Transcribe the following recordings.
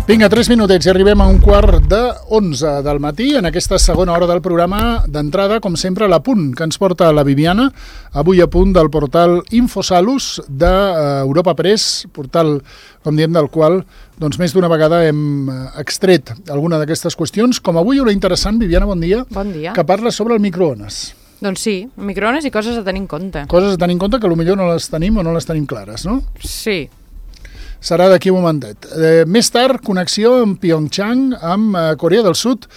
Vinga, 3 minutets i arribem a 11:15 del matí en aquesta segona hora del programa. D'entrada, com sempre, l'Apunt que ens porta la Viviana, avui a punt del portal Infosalus d'Europa Press, portal, com diem, del qual doncs, més d'una vegada hem extret alguna d'aquestes qüestions, com avui una interessant, Viviana, bon dia, que parla sobre el microones. Doncs sí, microones i coses a tenir en compte. Coses a tenir en compte que potser no les tenim o no les tenim clares, no? Sí. Serà d'aquí un momentet. Més tard, connexió amb Pyeongchang, amb Corea del Sud.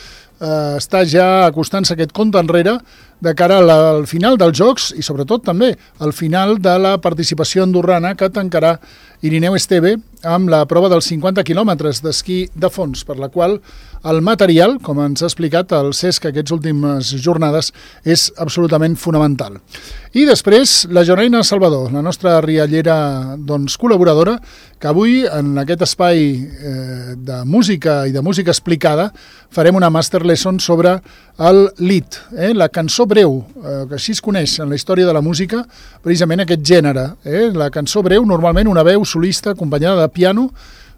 Està ja acostant-se aquest compte enrere de cara al final dels Jocs i sobretot també al final de la participació andorrana que tancarà Irineu Esteve amb la prova dels 50 quilòmetres d'esquí de fons, per la qual el material, com ens ha explicat el Cesc aquestes últimes jornades, és absolutament fonamental. I després, la Janaina Salvador, la nostra riallera col·laboradora, que avui, en aquest espai de música i de música explicada, farem una master lesson sobre el lied, la cançó breu, que així es coneix en la història de la música, precisament aquest gènere. La cançó breu, normalment una veu solista acompanyada de piano.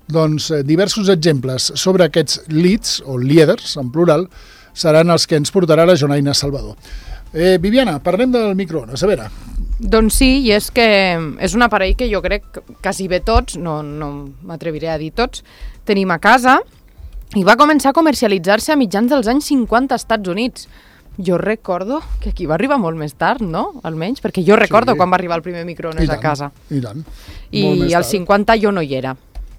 Doncs diversos exemples sobre aquests lieds, o lieders, en plural, seran els que ens portarà la Janaina Salvador. Viviana, parlem del microones, a veure. Doncs sí, i és que és un aparell que jo crec que quasi bé tots, no m'atreviré a dir tots, tenim a casa, i va començar a comercialitzar-se a mitjans dels anys 50 als Estats Units. Jo recordo que aquí va arribar molt més tard, no? Almenys, perquè jo recordo quan va arribar el primer microones a casa. I tant. I als 50 jo no hi era.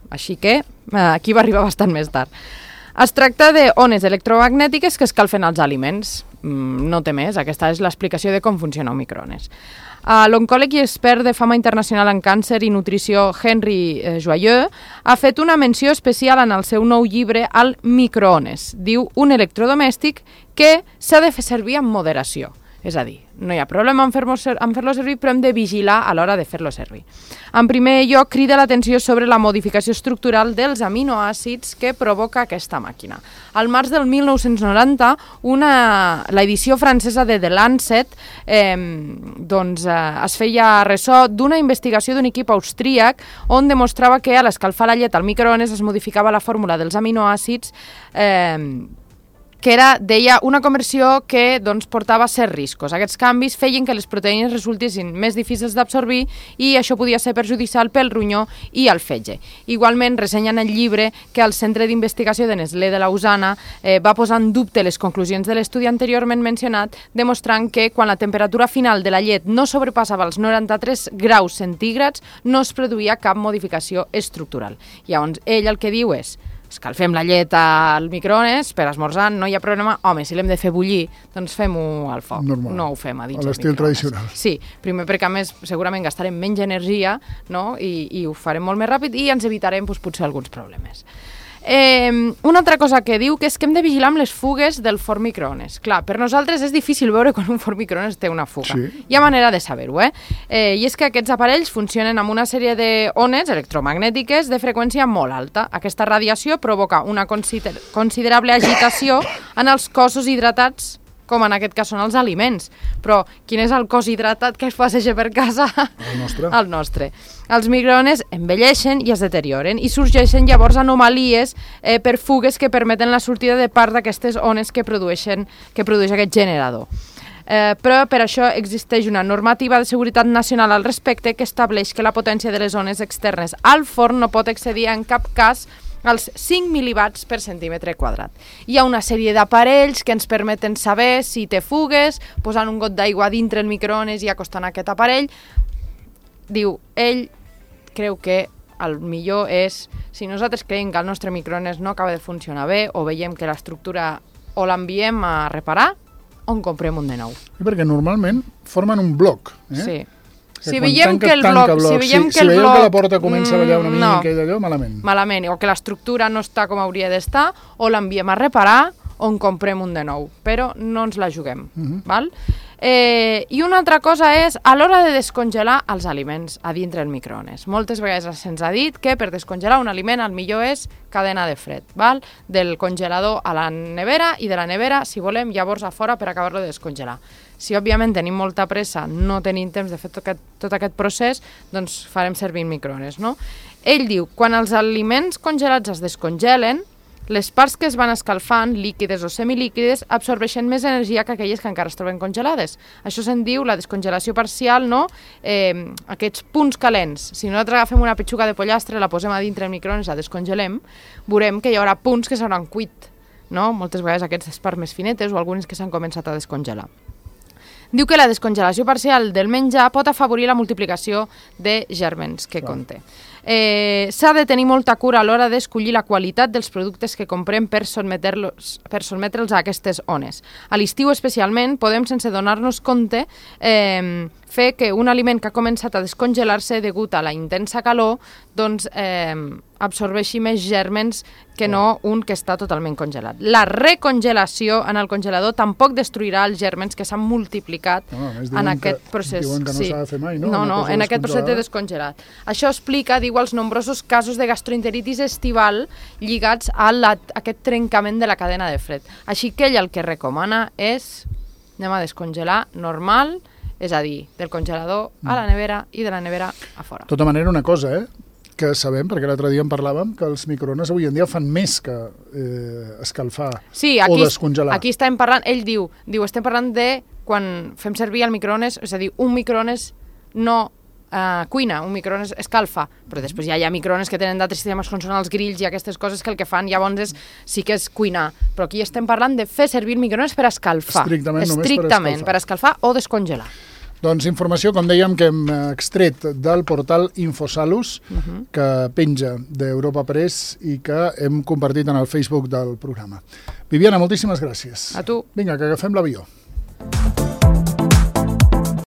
Així que aquí va arribar bastant més tard. Es tracta d'ones electromagnètiques que escalfen els aliments. No té més, aquesta és l'explicació de com funciona un microones. L'oncòleg i expert de fama internacional en càncer i nutrició Henry Joyeux ha fet una menció especial en el seu nou llibre al microones. Diu un electrodomèstic que s'ha de fer servir amb moderació. És a dir, no hi ha problema en fer-lo servir, però hem de vigilar a l'hora de fer-lo servir. En primer lloc, crida l'atenció sobre la modificació estructural dels aminoàcids que provoca aquesta màquina. Al març del 1990, l'edició francesa de The Lancet es feia ressò d'una investigació d'un equip austríac on demostrava que a l'escalfar la llet al microones es modificava la fórmula dels aminoàcids que deia una conversió que portava certs riscos. Aquests canvis feien que les proteïnes resultessin més difícils d'absorbir i això podia ser perjudicial pel ronyó i el fetge. Igualment, ressenya en el llibre que el Centre d'Investigació de Nestlé de Lausana va posar en dubte les conclusions de l'estudi anteriorment mencionat, demostrant que quan la temperatura final de la llet no sobrepassava els 93 graus centígrads no es produïa cap modificació estructural. Llavors, ell el que diu és: escalfem la llet al microones per esmorzar, no hi ha problema. Home, si l'hem de fer bullir, doncs fem-ho al foc. Normal. No ho fem a dins del microones. A l'estil tradicional. Sí, primer perquè a més segurament gastarem menys energia, no? I ho farem molt més ràpid i ens evitarem potser alguns problemes. Una altra cosa que diu que és que hem de vigilar amb les fugues del forn microones. Clar, per nosaltres és difícil veure quan un forn microones té una fuga. Sí. Hi ha manera de saber-ho, I és que aquests aparells funcionen amb una sèrie d'ones electromagnètiques de freqüència molt alta. Aquesta radiació provoca una considerable agitació en els cossos hidratats, com en aquest cas són els aliments. Però quin és el cos hidratat que es passeja per casa? El nostre. El nostre. Els microones envelleixen i es deterioren i sorgeixen llavors anomalies per fugues que permeten la sortida de part d'aquestes ones que produeix aquest generador. Però per això existeix una normativa de seguretat nacional al respecte que estableix que la potència de les ones externes al forn no pot excedir en cap cas als 5 mil·liwatts per centímetre quadrat. Hi ha una sèrie d'aparells que ens permeten saber si té fugues, posant un got d'aigua dintre el microones i acostant aquest aparell. Diu, ell creu que el millor és, si nosaltres creiem que el nostre microones no acaba de funcionar bé o veiem que l'estructura o l'enviem a reparar o en comprem un de nou. Perquè normalment formen un bloc, Sí. Si veiem que el bloc... Si veiem que la porta comença a ballar una mica i d'allò, malament. Malament, o que l'estructura no està com hauria d'estar, o l'enviem a reparar o en comprem un de nou, però no ens la juguem. Val? I una altra cosa és a l'hora de descongelar els aliments a dintre el microones. Moltes vegades se'ns ha dit que per descongelar un aliment el millor és cadena de fred, val? Del congelador a la nevera i de la nevera, si volem, llavors a fora per acabar-lo de descongelar. Si, òbviament, tenim molta pressa, no tenim temps de fer tot aquest procés, doncs farem servir el microones, no? Ell diu, quan els aliments congelats es descongelen, les parts que es van escalfant, líquides o semilíquides, absorbeixen més energia que aquelles que encara es troben congelades. Això se'n diu la descongelació parcial, no? Aquests punts calents. Si nosaltres agafem una petxuga de pollastre, la posem a dintre el microones, la descongelem, veurem que hi haurà punts que s'hauran cuit, no? Moltes vegades aquestes parts més finetes o algunes que s'han començat a descongelar. Diu que la descongelació parcial del menjar pot afavorir la multiplicació de gèrmens que conté. S'ha de tenir molta cura a l'hora d'escollir la qualitat dels productes que comprem per sotmetre'ls a aquestes ones. A l'estiu especialment podem, sense donar-nos compte, fer que un aliment que ha començat a descongelar-se degut a la intensa calor doncs, absorbeixi més gèrmens que no un que està totalment congelat. La recongelació en el congelador tampoc destruirà els gèrmens que s'han multiplicat en aquest procés. Diuen que no s'ha de fer mai, no? No, en aquest procés de descongelat. Això explica, diu, els nombrosos casos de gastroenteritis estival lligats a aquest trencament de la cadena de fred. Així que ell el que recomana és anem a descongelar normal, és a dir, del congelador a la nevera i de la nevera a fora. De tota manera, una cosa, que sabem, perquè l'altre dia en parlàvem, que els microones avui en dia fan més que escalfar o descongelar. Aquí estem parlant, ell diu, estem parlant de quan fem servir el microones, és a dir, un microones no cuina, un microones escalfa, però després ja hi ha microones que tenen d'altres sistemes com són els grills i aquestes coses que el que fan llavors sí que és cuinar, però aquí estem parlant de fer servir el microones per escalfar. Estrictament per escalfar o descongelar. Doncs informació, com dèiem, que hem extret del portal Infosalus, que penja d'Europa Press i que hem compartit en el Facebook del programa. Viviana, moltíssimes gràcies. A tu. Vinga, que agafem l'avió.